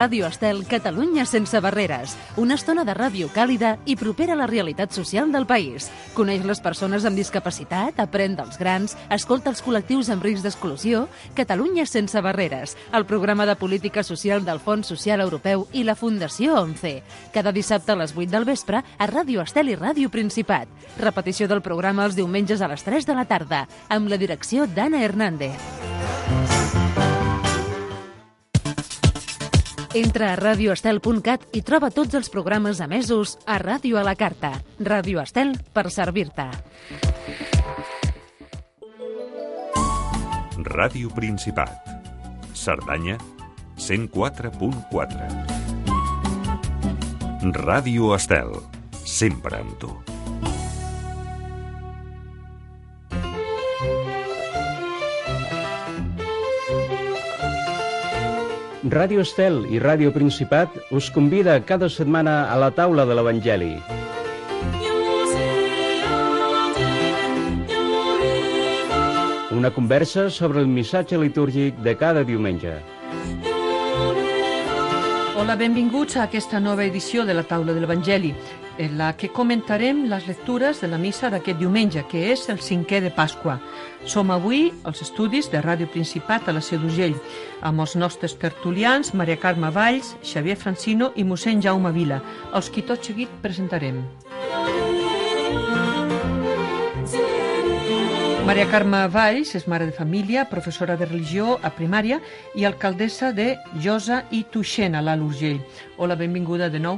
Ràdio Estel, Catalunya sense barreres. Una estona de ràdio càlida i propera a la realitat social del país. Coneix les persones amb discapacitat, aprèn dels grans, escolta els col·lectius amb risc d'exclusió. Catalunya sense barreres, el programa de política social del Fons Social Europeu i la Fundació ONCE. Cada dissabte a les 8 del vespre a Ràdio Estel i Ràdio Principat. Repetició del programa els diumenges a les 3 de la tarda, amb la direcció d'Anna Hernández. Entra a radioestel.cat i troba tots els programes emesos a Ràdio a la Carta. Ràdio Estel, per servir-te. Ràdio Principat. Cerdanya, 104.4. Ràdio Estel, sempre amb tu. Ràdio Estel i Ràdio Principat us convida cada setmana a la taula de l'Evangeli. Una conversa sobre el missatge litúrgic de cada diumenge. Hola, benvinguts a aquesta nova edició de la taula de l'Evangeli, en la que comentarem les lectures de la missa d'aquest diumenge, que és el 5è de Pasqua. Som avui als estudis de Ràdio Principat a la Seu d'Urgell, amb els nostres tertulians Maria Carme Valls, Xavier Francino i mossèn Jaume Vila, els qui tot seguit presentarem. Maria Carme Valls és mare de família, professora de religió a primària i alcaldessa de Josa i Tuixén, a l'Alt Urgell. Hola, benvinguda de nou.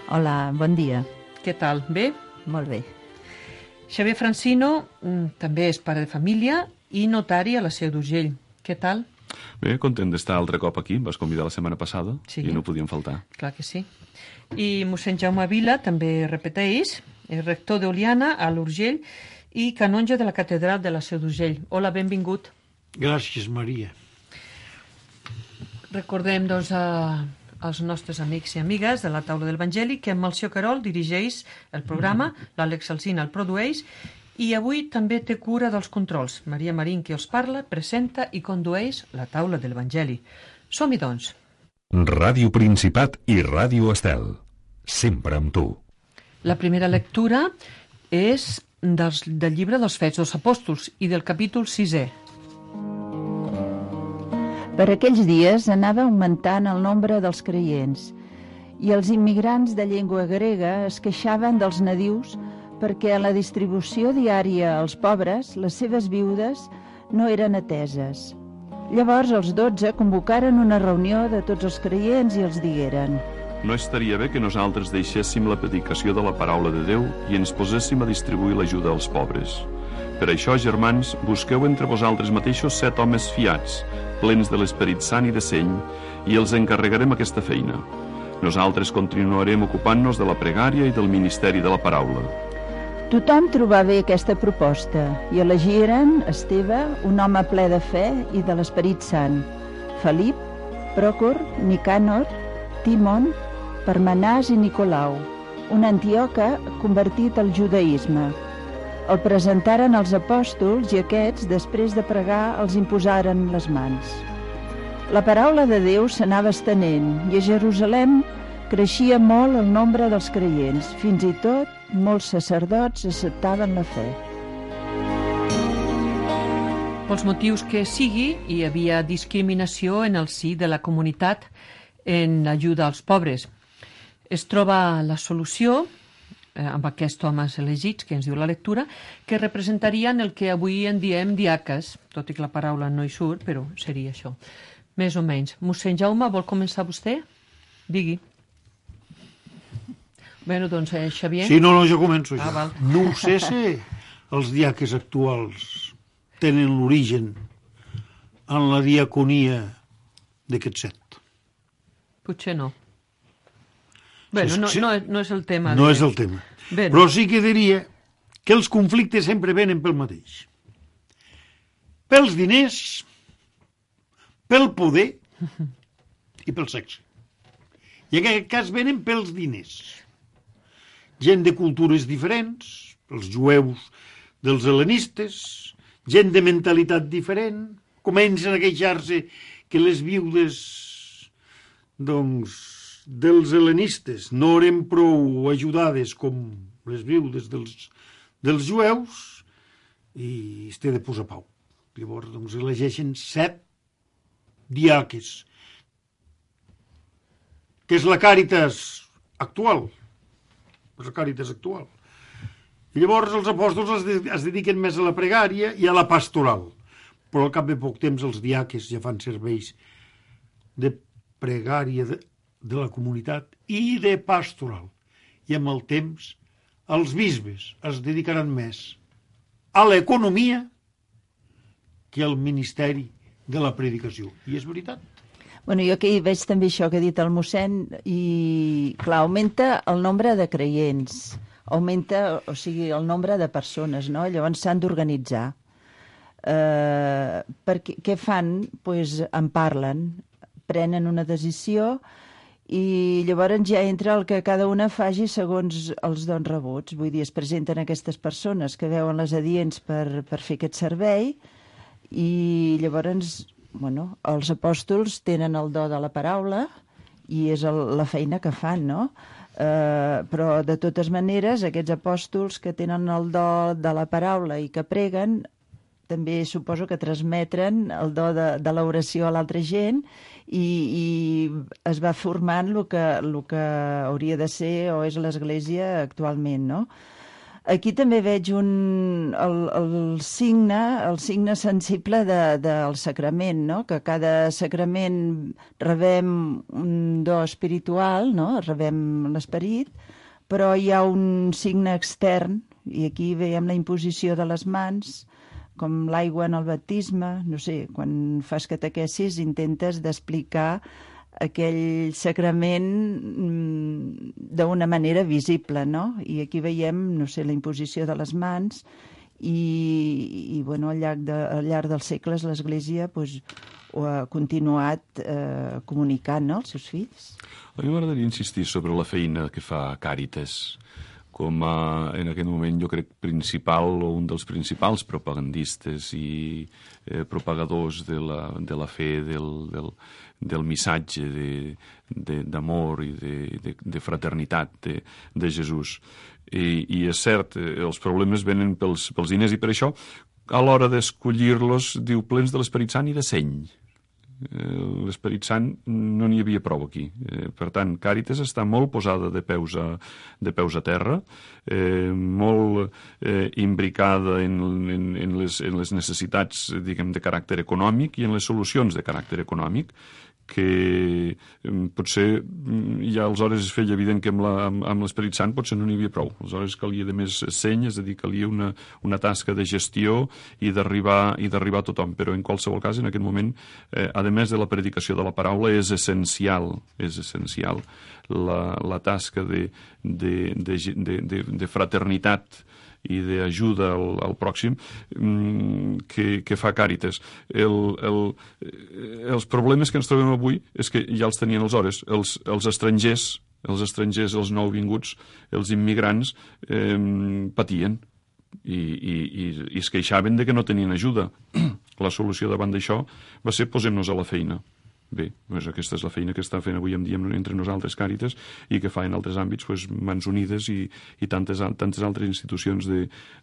Hola, bon dia. Què tal? Bé? Molt bé. Xavier Francino també és pare de família i notari a la Seu d'Urgell. Què tal? Bé, content d'estar altre cop aquí. Em vas convidar la setmana passada i no podíem faltar. Clar que sí. I mossèn Jaume Vila també repeteix, és rector d'Oliana a l'Urgell i canonge de la catedral de la Seu d'Urgell. Hola, benvingut. Gràcies, Maria. Recordem, doncs, als nostres amics i amigues de la taula de l'Evangeli que en Melcior Querol dirigeix el programa, l'Àlex Alsina el produeix i avui també té cura dels controls. Maria Marín, que els parla, presenta i condueix la taula de l'Evangeli. Som-hi, doncs. Ràdio Principat i Ràdio Estel, sempre amb tu. La primera lectura és del llibre dels Fets dels Apòstols i del capítol 6è. Per aquells dies anava augmentant el nombre dels creients i els immigrants de llengua grega es queixaven dels nadius perquè a la distribució diària als pobres les seves viudes no eren ateses. Llavors els 12 convocaren una reunió de tots els creients i els digueren: no estaria bé que nosaltres deixéssim la predicació de la paraula de Déu i ens poséssim a distribuir l'ajuda als pobres. Per això, germans, busqueu entre vosaltres mateixos 7 homes fiats, plens de l'Esperit Sant i de seny, i els encarregarem aquesta feina. Nosaltres continuarem ocupant-nos de la pregària i del ministeri de la paraula. Tothom trobà bé aquesta proposta i elegiren Esteve, un home ple de fe i de l'Esperit Sant, Felip, Pròcor, Nicànor, Timon, Parmenàs i Nicolau, un antioca convertit al judaïsme. El presentaren als apòstols i aquests, després de pregar, els imposaren les mans. La paraula de Déu s'anava estenent i a Jerusalem creixia molt el nombre dels creients. Fins i tot molts sacerdots acceptaven la fe. Pels motius que sigui, hi havia discriminació en el si de la comunitat en ajuda als pobres. Es troba la solució amb aquests homes elegits, que ens diu la lectura, que representarien el que avui en diem diaques, tot i que la paraula no hi surt, però seria això, més o menys. Mossèn Jaume, vol començar vostè? Digui. Bé, doncs, Xavier? Sí, no, jo començo ja. Val. No ho sé si els diaques actuals tenen l'origen en la diaconia d'aquest 7. Potser no. Bé, no és el tema. No és el tema. Bé, però sí que diria que els conflictes sempre venen pel mateix. Pels diners, pel poder i pel sexe. I en aquest cas venen pels diners. Gent de cultures diferents, els jueus dels hel·lenistes, gent de mentalitat diferent, comencen a queixar-se que les viudes doncs, dels helenistes no eren prou ajudades com les viudes dels jueus i es té de posar pau. Llavors, doncs, elegeixen 7 diaques, que és la Càritas actual. És la Càritas actual. I llavors els apòstols es dediquen més a la pregària i a la pastoral. Però al cap de poc temps els diaques ja fan serveis de pregària de la comunitat i de pastoral. I amb el temps els bisbes es dedicaran més a l'economia que al ministeri de la predicació. I és veritat. Bueno, jo aquí veig també això que ha dit el mossèn i, clar, augmenta el nombre de creients, augmenta, o sigui, el nombre de persones, no? Llavors s'han d'organitzar. Què fan? Pues en parlen, prenen una decisió i llavors ja entra el que cada una faci segons els dons rebuts. Vull dir, es presenten aquestes persones que veuen les adients per fer aquest servei i llavors, bueno, els apòstols tenen el do de la paraula i és la feina que fan, no? Però de totes maneres aquests apòstols que tenen el do de la paraula i que preguen també suposo que transmetren el do de l'oració a l'altra gent i es va formant el que hauria de ser o és l'Església actualment, no? Aquí també veig el signe sensible del sacrament, no? Que cada sacrament rebem un do espiritual, no? Rebem l'esperit, però hi ha un signe extern, i aquí veiem la imposició de les mans, com l'aigua en el baptisme, no sé, quan fas catequesis intentes d'explicar aquell sacrament d'una manera visible, no? I aquí veiem, no sé, la imposició de les mans i bueno, al llarg dels segles l'Església pues, ho ha continuat comunicant, no?, als seus fills. A mi m'agradaria insistir sobre la feina que fa Càritas com en aquest moment jo crec principal o un dels principals propagandistes i propagadors de la fe, del missatge d'amor i de fraternitat de Jesús. I és cert, els problemes venen pels diners i per això a l'hora d'escollir-los diu plens de l'Esperit Sant i de seny. L'Esperit Sant no n'hi havia prou aquí. Per tant, Càritas està molt posada de peus a terra, molt imbricada en les necessitats, diguem, de caràcter econòmic i en les solucions de caràcter econòmic, que potser ja aleshores es feia evident que amb l'Esperit Sant potser no n'hi havia prou. Aleshores calia de més seny, és a dir, calia una tasca de gestió i d'arribar a tothom. Però en qualsevol cas, en aquest moment, a més de la predicació de la paraula, és essencial la tasca de fraternitat i d'ajuda al pròxim que fa Càritas. Els problemes que ens trobem avui és que ja els tenien aleshores. Els estrangers, els nouvinguts, els immigrants patien i es queixaven de que no tenien ajuda. La solució davant d'això va ser posem-nos a la feina. Bé, doncs aquesta és la feina que està fent avui en dia entre nosaltres Càritas i que fa en altres àmbits doncs, Mans Unides i tantes altres institucions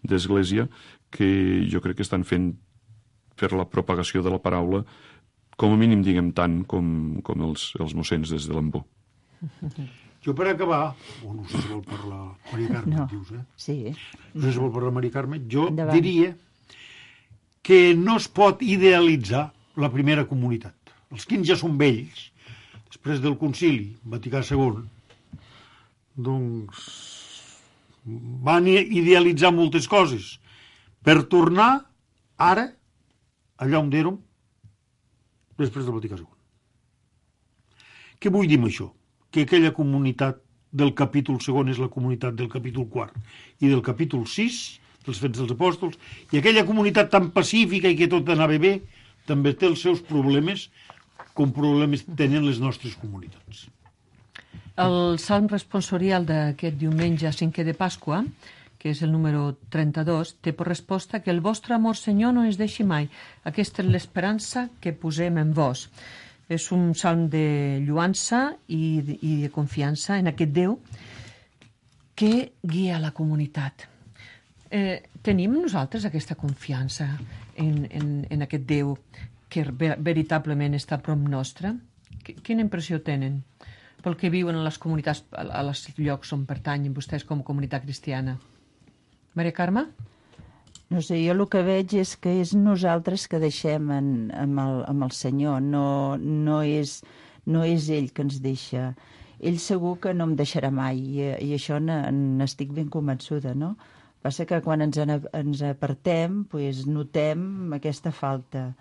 d'Església que jo crec que estan fent per la propagació de la paraula com a mínim diguem tant com els mossens des de l'Embó. Jo per acabar, no sé si vol parlar Maria Carme, dius, Sí. No sé si vol parlar Maria Carme, jo diria que no es pot idealitzar la primera comunitat. Els quins ja són vells, després del concili Vaticà II, doncs van idealitzar moltes coses per tornar ara allà on érem després del Vaticà II. Què vull dir amb això? Que aquella comunitat del capítol segon és la comunitat del capítol quart i del capítol 6, dels Fets dels Apòstols, i aquella comunitat tan pacífica i que tot anava bé, també té els seus problemes com problemes tenen les nostres comunitats. El salm responsorial d'aquest diumenge 5è de Pasqua, que és el número 32, té per resposta que el vostre amor, Senyor, no ens deixi mai. Aquesta és l'esperança que posem en vos. És un salm de lluança i de confiança en aquest Déu que guia la comunitat. Tenim nosaltres aquesta confiança en aquest Déu que veritablement està a prop nostre? Quina impressió tenen pel que viuen a les comunitats, a els llocs on pertanyen vostès com a comunitat cristiana? Maria Carme? No sé, jo el que veig és que és nosaltres que deixem amb el Senyor, no és ell que ens deixa. Ell segur que no em deixarà mai, i això n'estic ben convençuda, no? Passa que quan ens apartem, doncs notem aquesta falta.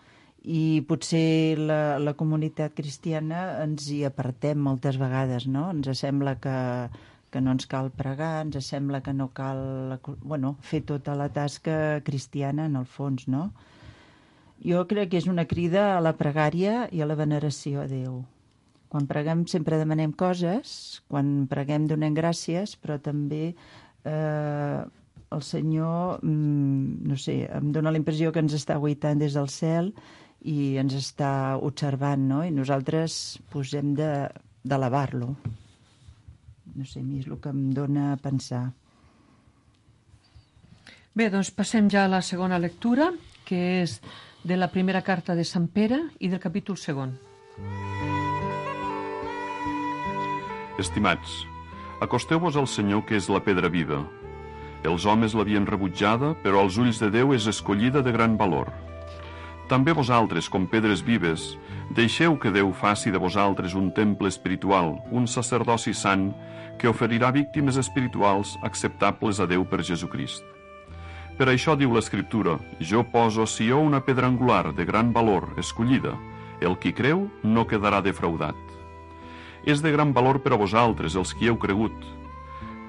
I potser la comunitat cristiana ens hi apartem moltes vegades, no? Ens sembla que no ens cal pregar, ens sembla que no cal fer tota la tasca cristiana en el fons, no? Jo crec que és una crida a la pregària i a la veneració a Déu. Quan preguem sempre demanem coses, quan preguem donem gràcies, però també el Senyor, no sé, em dóna la impressió que ens està guaitant des del cel i ens està observant, no? I nosaltres hem d'elevar-lo. No sé, a mi és el que em dóna a pensar. Bé, doncs passem ja a la segona lectura, que és de la primera carta de Sant Pere i del capítol 2. Estimats, acosteu-vos al Senyor, que és la pedra viva. Els homes l'havien rebutjada, però als ulls de Déu és escollida de gran valor. També vosaltres, com pedres vives, deixeu que Déu faci de vosaltres un temple espiritual, un sacerdoci sant, que oferirà víctimes espirituals acceptables a Déu per Jesucrist. Per això diu l'Escriptura: jo poso a Sió una pedra angular de gran valor, escollida. El qui creu no quedarà defraudat. És de gran valor per a vosaltres, els qui heu cregut.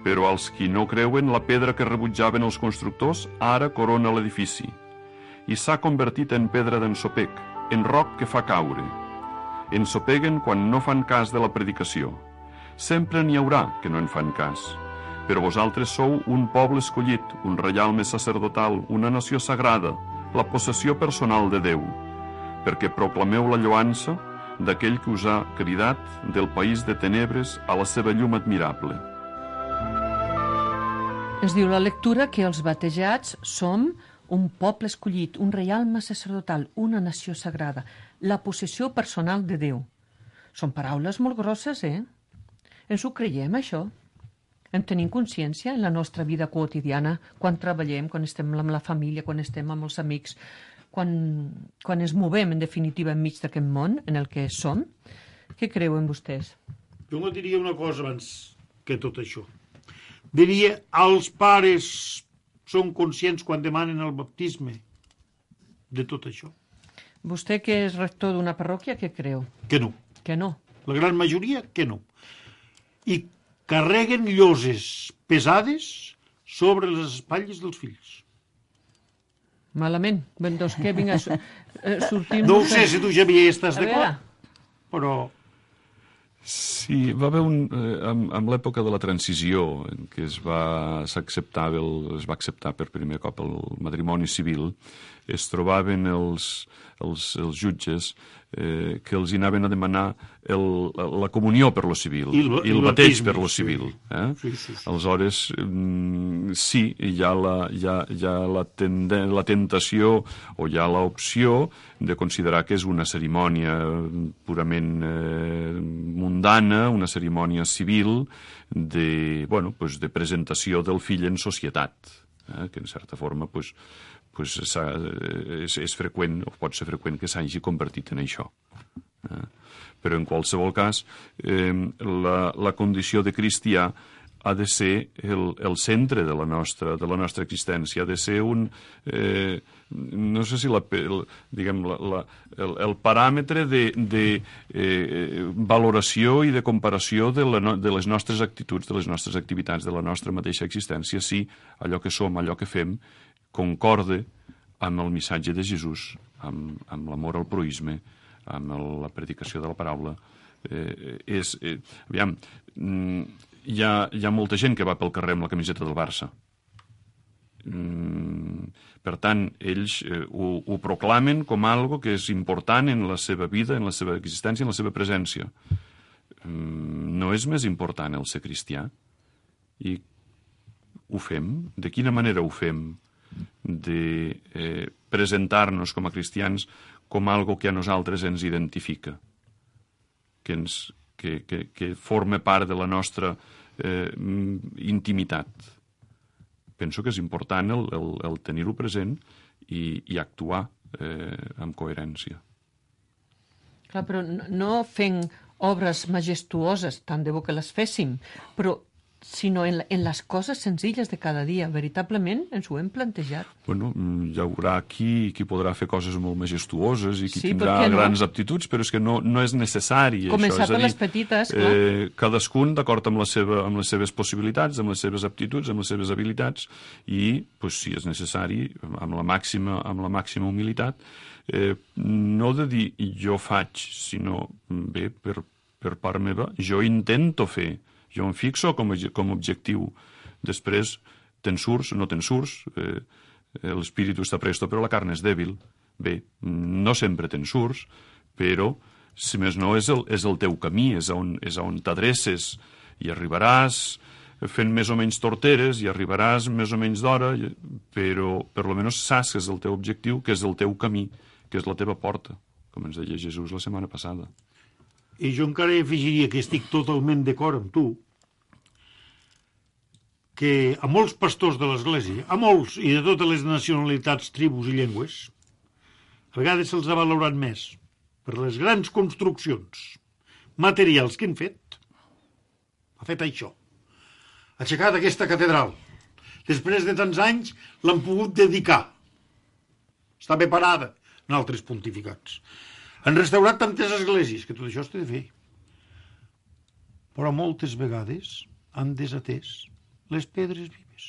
Però als qui no creuen, la pedra que rebutjaven els constructors ara corona l'edifici. I s'ha convertit en pedra d'ensopec, en roc que fa caure. Ensopeguen quan no fan cas de la predicació. Sempre n'hi haurà que no en fan cas. Però vosaltres sou un poble escollit, un reialme sacerdotal, una nació sagrada, la possessió personal de Déu, perquè proclameu la lloança d'aquell que us ha cridat del país de tenebres a la seva llum admirable. Ens diu la lectura que els batejats som un poble escollit, un reialme sacerdotal, una nació sagrada, la possessió personal de Déu. Són paraules molt grosses, Ens ho creiem, això? En tenim consciència en la nostra vida quotidiana, quan treballem, quan estem amb la família, quan estem amb els amics, quan ens movem, en definitiva, enmig d'aquest món en el que som? Què creuen vostès? Jo no diria una cosa abans que tot això. Diria, els pares són conscients quan demanen el baptisme de tot això? Vostè, que és rector d'una parròquia, què creu? Que no. Que no. La gran majoria, que no. I carreguen lloses pesades sobre les espatlles dels fills. Malament. Ben, doncs què, vinga, sortim... No ho sé si tu, Xavier, estàs d'acord, però... Sí, va haver amb l'època de la transició, en què es va acceptar per primer cop el matrimoni civil, es trobaven els jutges que els anaven a demanar la comunió per lo civil i el bateig per lo civil. Sí. Aleshores, sí, hi ha la tentació o hi ha l'opció de considerar que és una cerimònia purament mundana, una cerimònia civil de presentació del fill en societat, que en certa forma és freqüent, o pot ser freqüent, que s'hagi convertit en això. Però en qualsevol cas, la condició de cristià ha de ser el centre de la nostra existència, ha de ser no sé si el paràmetre de valoració i de comparació de les nostres actituds, de les nostres activitats, de la nostra mateixa existència, si allò que som, allò que fem, concorde amb el missatge de Jesús, amb l'amor al proïsme, amb la predicació de la paraula. Hi ha molta gent que va pel carrer amb la camiseta del Barça. Per tant, ells ho proclamen com algo que és important en la seva vida, en la seva existència, en la seva presència. No és més important el ser cristià? I ho fem? De quina manera ho fem? De presentar-nos com a cristians com algo que a nosaltres ens identifica, que forma part de la nostra intimitat. Penso que és important el tenir-ho present i actuar amb coherència. Clar, però no fent obres majestuoses, tant de bo que les féssim, però sinó en les coses senzilles de cada dia. Veritablement ens ho hem plantejat. Bueno, hi haurà qui podrà fer coses molt majestuoses i qui Sí, tindrà per què no? grans aptituds, però és que no és necessari. Començar això. És a per dir, les petites, clar. Cadascun d'acord amb les seves possibilitats, amb les seves aptituds, amb les seves habilitats, i, pues, si és necessari, amb la màxima humilitat, no de dir jo faig, sinó, bé, per part meva, jo intento fer. Jo em fixo com a objectiu. Després, te'n surts, no te'n surts, l'espíritu està presto, però la carn és dèbil. Bé, no sempre te'n surts, però, si més no, és el teu camí, és on t'adreces, i arribaràs fent més o menys torteres, i arribaràs més o menys d'hora, però per lo menys saps que és el teu objectiu, que és el teu camí, que és la teva porta, com ens deia Jesús la setmana passada. I jo encara afegiria que estic totalment d'acord amb tu, que a molts pastors de l'Església, a molts i de totes les nacionalitats, tribus i llengües, a vegades se'ls ha valorat més per les grans construccions materials que han fet. Ha fet això. Ha aixecat aquesta catedral. Després de tants anys l'han pogut dedicar. Està bé parada en altres pontificats. Han restaurat tantes esglésies que tot això es té de fer. Però moltes vegades han desatès les pedres vives.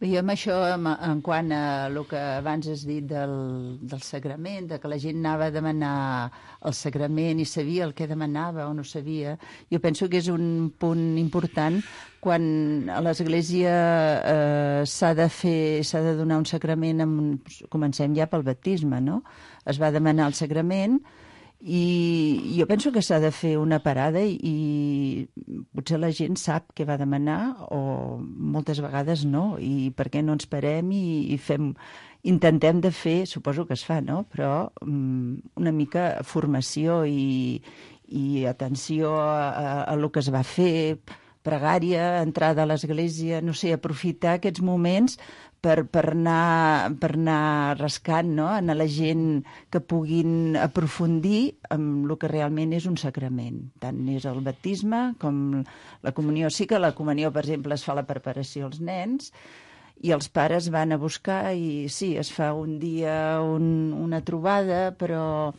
Bé, jo amb això, en quant a el que abans has dit del sagrament, de que la gent anava a demanar el sagrament i sabia el que demanava o no sabia, jo penso que és un punt important quan a l'Església s'ha de donar un sagrament, comencem ja pel baptisme, no? Es va demanar el sagrament i jo penso que s'ha de fer una parada i potser la gent sap què va demanar o moltes vegades no, i per què no ens parem i intentem de fer, suposo que es fa, no? Però una mica formació i atenció a lo que es va fer, pregària, entrada a l'església, no sé, aprofitar aquests moments per anar rascant, no? A la gent que puguin aprofundir en el que realment és un sacrament. Tant és el baptisme com la comunió. Sí que la comunió, per exemple, es fa la preparació als nens i els pares van a buscar i sí, es fa un dia una trobada, però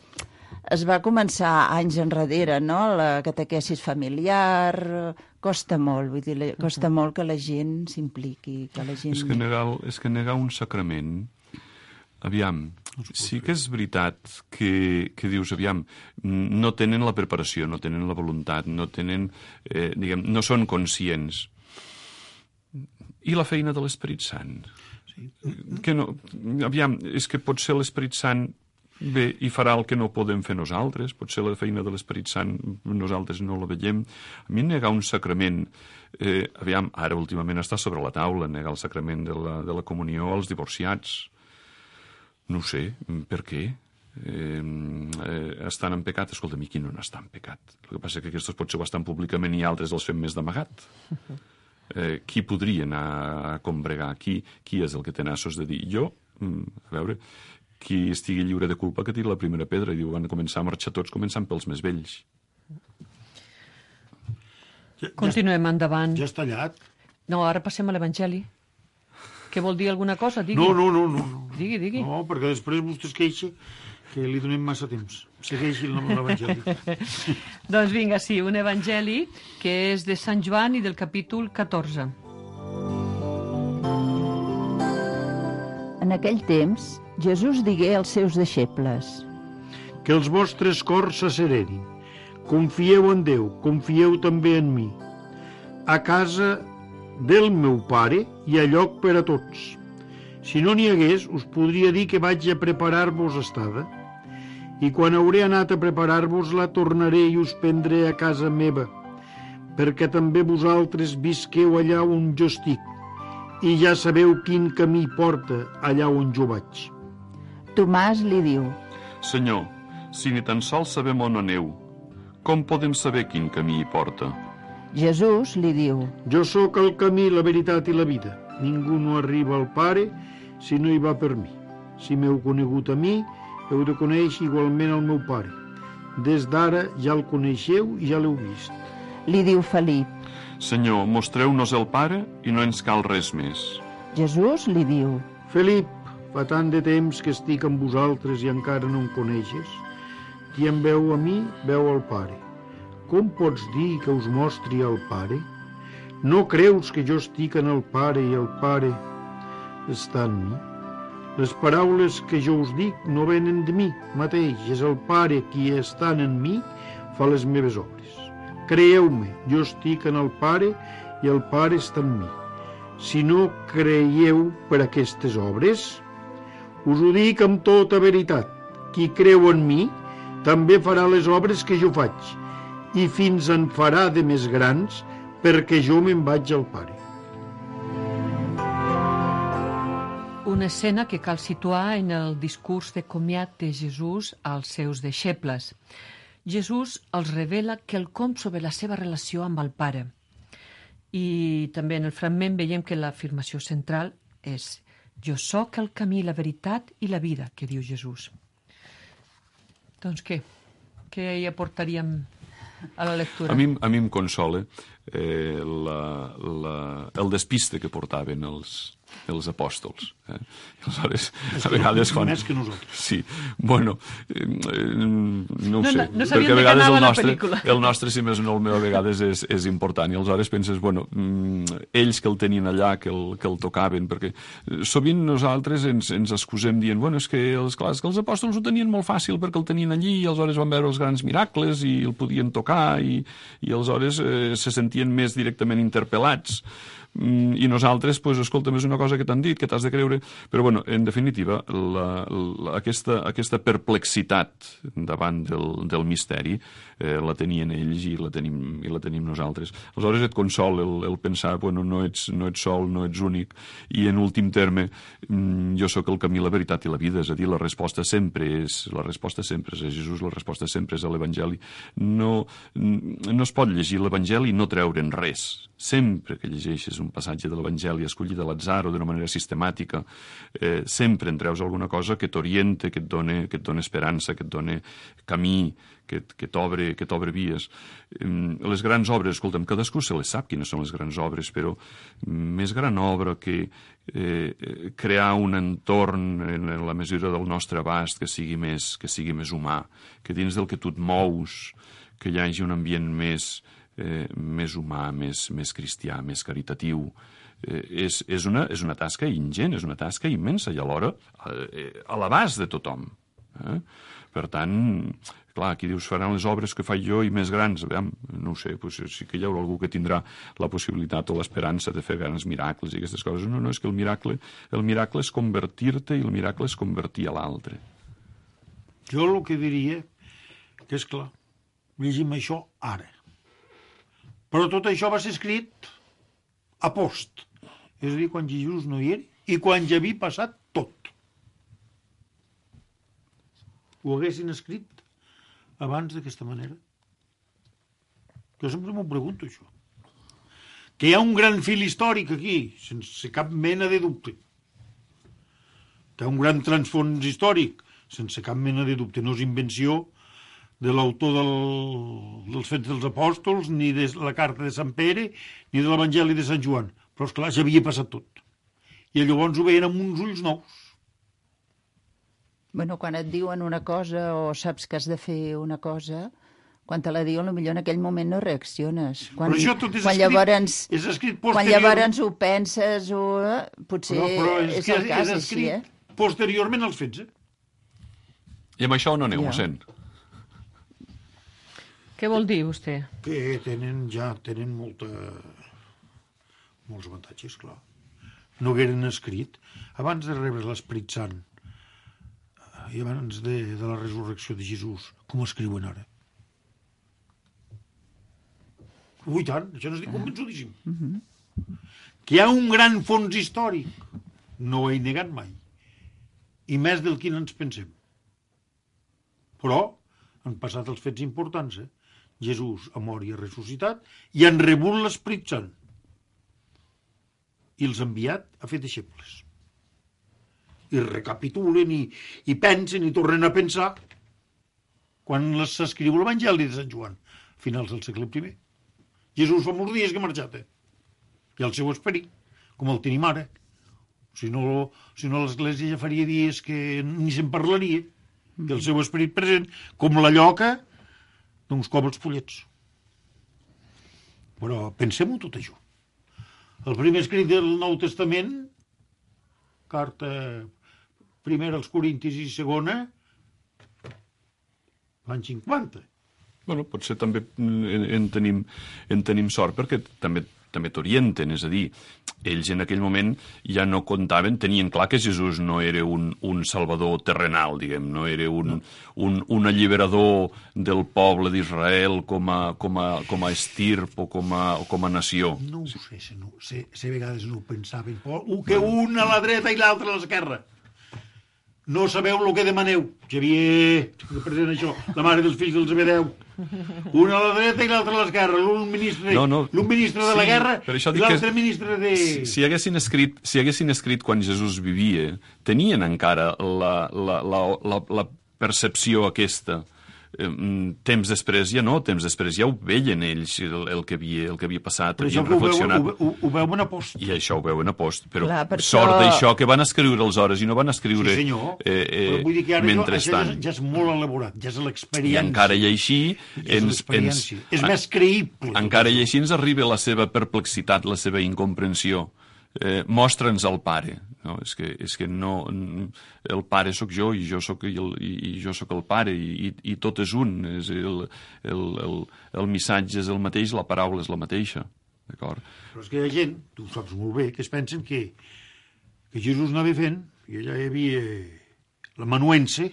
es va començar anys enrere, no? La catequesis familiar costa molt, vull dir, costa molt que la gent s'impliqui, que la gent... És que negar un sacrament, aviam, sí que és veritat que dius, aviam, no tenen la preparació, no tenen la voluntat, no tenen, no són conscients. I la feina de l'Esperit Sant? Sí. Que no, aviam, és que potser l'Esperit Sant bé, i farà el que no podem fer nosaltres, potser la feina de l'Esperit Sant nosaltres no la veiem. A mi negar un sacrament, aviam, ara últimament està sobre la taula, negar el sacrament de la comunió als divorciats. No ho sé, per què? Estan en pecat? Escolta, a mi qui no n'està en pecat? El que passa és que aquests potser ho estan públicament i altres els fem més d'amagat. Qui podria anar a combregar? Qui és el que té nassos de dir? Jo, a veure... qui estigui lliure de culpa que tiri la primera pedra, i diu, van començar a marxar tots començant pels més vells. Continuem endavant. Ja has tallat? No, ara passem a l'Evangeli. Què vol dir alguna cosa? Digui. No. Digui. No, perquè després vostè es queixa que li donem massa temps. Segueixi l'Evangeli. Doncs vinga, sí, un Evangeli que és de Sant Joan i del capítol 14. En aquell temps, Jesús digué als seus deixebles: Que els vostres cors s'asserenin. Confieu en Déu, confieu també en mi. A casa del meu pare hi ha lloc per a tots. Si no n'hi hagués, us podria dir que vaig a preparar-vos estada. I quan hauré anat a preparar-vos-la, tornaré i us prendré a casa meva, perquè també vosaltres visqueu allà on jo estic, i ja sabeu quin camí porta allà on jo vaig. Tomàs li diu: Senyor, si ni tan sols sabem on aneu, com podem saber quin camí hi porta? Jesús li diu: Jo sóc el camí, la veritat i la vida. Ningú no arriba al Pare si no hi va per mi. Si m'heu conegut a mi, heu de conèixer igualment el meu Pare. Des d'ara ja el coneixeu i ja l'heu vist. Li diu Felip. Senyor, mostreu-nos el Pare i no ens cal res més. Jesús li diu: Felip, fa tant de temps que estic amb vosaltres i encara no em coneixes. Qui em veu a mi, veu el Pare. Com pots dir que us mostri el Pare? No creus que jo estic en el Pare i el Pare està en mi? Les paraules que jo us dic no venen de mi mateix, és el Pare qui estant en mi fa les meves obres. Creieu-me, jo estic en el Pare i el Pare està en mi. Si no creieu per aquestes obres, us ho dic amb tota veritat. Qui creu en mi també farà les obres que jo faig, i fins en farà de més grans, perquè jo me'n vaig al Pare. Una escena que cal situar en el discurs de comiat de Jesús als seus deixebles. Jesús els revela quelcom sobre la seva relació amb el Pare. I també en el fragment veiem que l'afirmació central és: jo sóc el camí, la veritat i la vida, que diu Jesús. Doncs què? Què hi aportaríem a la lectura? A mi em consola el despiste que portaven els apòstols. Aleshores, a vegades quan... Més que nosaltres. Sí, bueno, no ho sé. No sabíem perquè a vegades la pel·lícula. el nostre, si més no el meu, a vegades és important. I aleshores penses, bueno, ells que el tenien allà, que el tocaven, perquè sovint nosaltres ens excusem dient, bueno, és que els apòstols ho tenien molt fàcil perquè el tenien allí i aleshores van veure els grans miracles i el podien tocar i aleshores se sentien més directament interpel·lats. I nosaltres, doncs, escolta'm, és una cosa que t'han dit, que t'has de creure, però, bueno, en definitiva, aquesta perplexitat davant del misteri la tenien ells i la tenim nosaltres. Aleshores et consol el pensar, bueno, no ets sol, no ets únic, i en últim terme, jo sóc el camí, la veritat i la vida, és a dir, la resposta sempre és a Jesús, la resposta sempre és a l'Evangeli. No es pot llegir l'Evangeli i no treure'n res. Sempre que llegeixes un passatge de l'Evangeli escollit a l'atzar o d'una manera sistemàtica, sempre en treus alguna cosa que t'orienta, que et dona esperança, que et dona camí, que t'obre vies. Les grans obres, escolta'm, cadascú se les sap quines són les grans obres, però més gran obra que crear un entorn en la mesura del nostre abast que sigui més humà, que dins del que tu et mous, que hi hagi un ambient més humà, més cristià, més caritatiu. És una tasca ingent, és una tasca immensa i alhora a l'abast de tothom. Per tant, clar, aquí dius, faran les obres que faig jo i més grans. No ho sé, sí que hi haurà algú que tindrà la possibilitat o l'esperança de fer grans miracles i aquestes coses. No, és que el miracle és convertir-te i el miracle és convertir a l'altre. Jo el que diria que, és clar, llegim això ara. Però tot això va ser escrit a post. És a dir, quan Jesús no hi era i quan ja havia passat tot. Ho haguessin escrit abans d'aquesta manera? Jo sempre m'ho pregunto, això. Que hi ha un gran fil històric aquí, sense cap mena de dubte. Que hi ha un gran transfons històric, sense cap mena de dubte. No és invenció de l'autor dels Fets dels Apòstols, ni de la carta de Sant Pere, ni de l'Evangeli de Sant Joan. Però, esclar, ja havia passat tot. I llavors ho veien amb uns ulls nous. Bueno, quan et diuen una cosa o saps que has de fer una cosa, quan te la diuen, potser en aquell moment no reacciones. Però això tot és escrit posterior. Quan llavors ho penses, potser però és el cas així, posteriorment als fets, I amb això no aneu, mossèn? Què vol dir, vostè? Que tenen Molts avantatges, clar. No hagueren escrit abans de rebre l'Esperit Sant i abans de la resurrecció de Jesús, com escriuen ara. Ui, tant, això n'estic convençudíssim. Que hi ha un gran fons històric, no ho he negat mai, i més del que ens pensem. Però han passat els fets importants, Jesús ha mort i ha ressuscitat i han rebut l'Esperit Sant i els ha enviat a fer deixebles. I recapitulen i pensen i tornen a pensar quan s'escriu l'Evangeli de Sant Joan, a finals del segle I. Jesús fa molts dies que ha marxat, i el seu esperit, com el tenim ara. Si no l'Església ja faria dies que ni se'n parlaria, i el seu esperit present, com la lloca d'uns cobles pollets. Però pensem-ho tot això. El primer escrit del Nou Testament, carta primera als Corintis i segona, l'any 50. Bueno, potser també en tenim sort, perquè també t'orienten, és a dir, ells en aquell moment ja no comptaven, tenien clar que Jesús no era un salvador terrenal, diguem, no era un alliberador del poble d'Israel com a estirp o com a nació. No ho sé, a vegades no ho pensaven. Que un a la dreta i l'altre a l'esquerra. No sabeu el que demaneu. Xavier, present això, la mare dels fills del Zebedeu. Un a la dreta i l'altre a l'esquerra. L'un ministre de la guerra i l'altre ministre de... Si haguessin escrit quan Jesús vivia, tenien encara la percepció aquesta. Temps després ja no, temps després ja ho veien ells el que havia passat, havien reflexionat. Ho veuen a post. I això ho veuen a post, però clar, per sort això... d'això que van escriure aleshores i no van escriure sí, però vull dir que ara mentrestant. Això ja és molt elaborat, ja és l'experiència. I encara i així... és més creïble. Encara i així ens arriba la seva perplexitat, la seva incomprensió. Mostra'ns el pare. No? És que no, el pare sóc jo i jo sóc el pare i tot és un. És el missatge és el mateix, la paraula és la mateixa. D'acord? Però és que hi ha gent, tu ho saps molt bé, que es pensen que Jesús anava fent i allà hi havia l'amanuense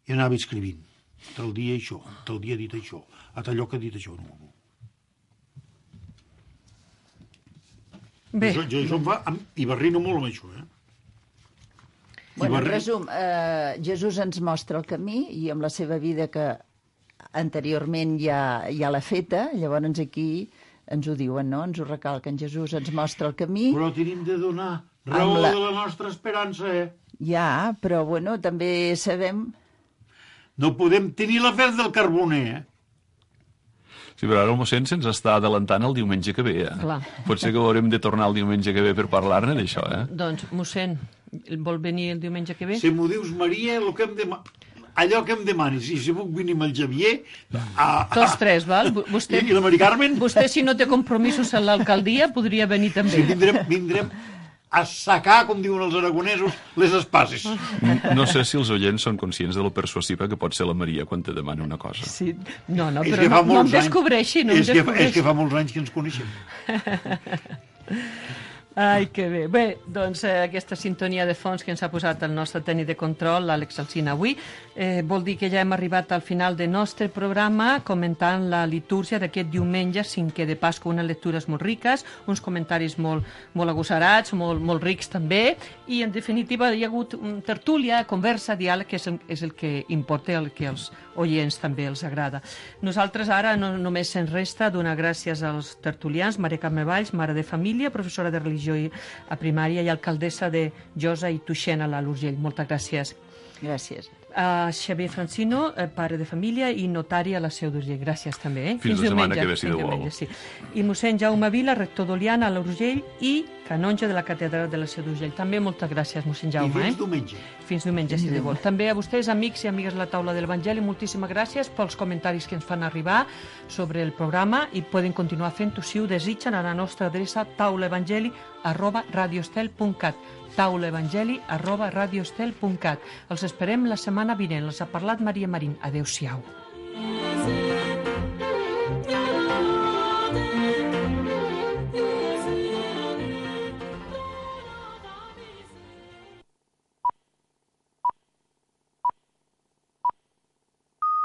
i anava escrivint. Tal dia això, tal dia ha dit això, a tal lloc ha dit això. No. Bé. Jo em fa... I barrino molt amb això, Bueno, en resum, Jesús ens mostra el camí i amb la seva vida que anteriorment ja l'ha feta, llavors aquí ens ho diuen, no? Ens ho recalquen. Jesús ens mostra el camí. Però tenim de donar raó de la nostra esperança, Ja, però bueno, també sabem... No podem tenir l'afer del carboner, Sí, però ara el mossèn se'ns està adelantant el diumenge que ve. Clar. Potser que haurem de tornar el diumenge que ve per parlar-ne d'això, Doncs, mossèn, vol venir el diumenge que ve? Si m'ho dius, Maria, allò que em demanis, i si puc venir amb el Xavier... Tots tres, val? Vostè, I la Mari Carmen... Vostè, si no té compromisos a l'alcaldia, podria venir també. Sí, vindrem a sacar, com diuen els aragonesos, les espases. No sé si els oients són conscients de lo persuasiva que pot ser la Maria quan te demana una cosa. Sí. No, però no em descobreixi, no em descobreixi. És que fa molts anys que ens coneixem. Ai, que bé. Bé, doncs aquesta sintonia de fons que ens ha posat el nostre tècnic de control, l'Àlex Alsina, avui, vol dir que ja hem arribat al final del nostre programa comentant la litúrgia d'aquest diumenge 5è de Pasqua, unes lectures molt riques, uns comentaris molt agosarats, molt rics també, i en definitiva hi ha hagut tertúlia, conversa, diàleg, que és el que importa, el que als oients també els agrada. Nosaltres ara només ens resta donar gràcies als tertulians, Maria Carme Valls, mare de família, professora de religió a primària i alcaldessa de Josa i Tuixén a l'Alt Urgell. Moltes gràcies. Gràcies. A Xavier Francino, pare de família i notari a la Seu d'Urgell. Gràcies també. Fins la setmana que ve, si Déu vol. Sí. I mossèn Jaume Vila, rector d'Oliana a l'Urgell i canonge de la catedral de la Seu d'Urgell. També moltes gràcies, mossèn Jaume. I fins diumenge. Fins diumenge, si Déu vol. També a vostès, amics i amigues de la taula de l'Evangeli, moltíssimes gràcies pels comentaris que ens fan arribar sobre el programa i poden continuar fent-ho si ho desitgen a la nostra adreça taulaevangeli@radiostel.cat taulaevangeli@radiostel.cat. Els esperem la setmana vinent. Els ha parlat Maria Marín. Adéu-siau.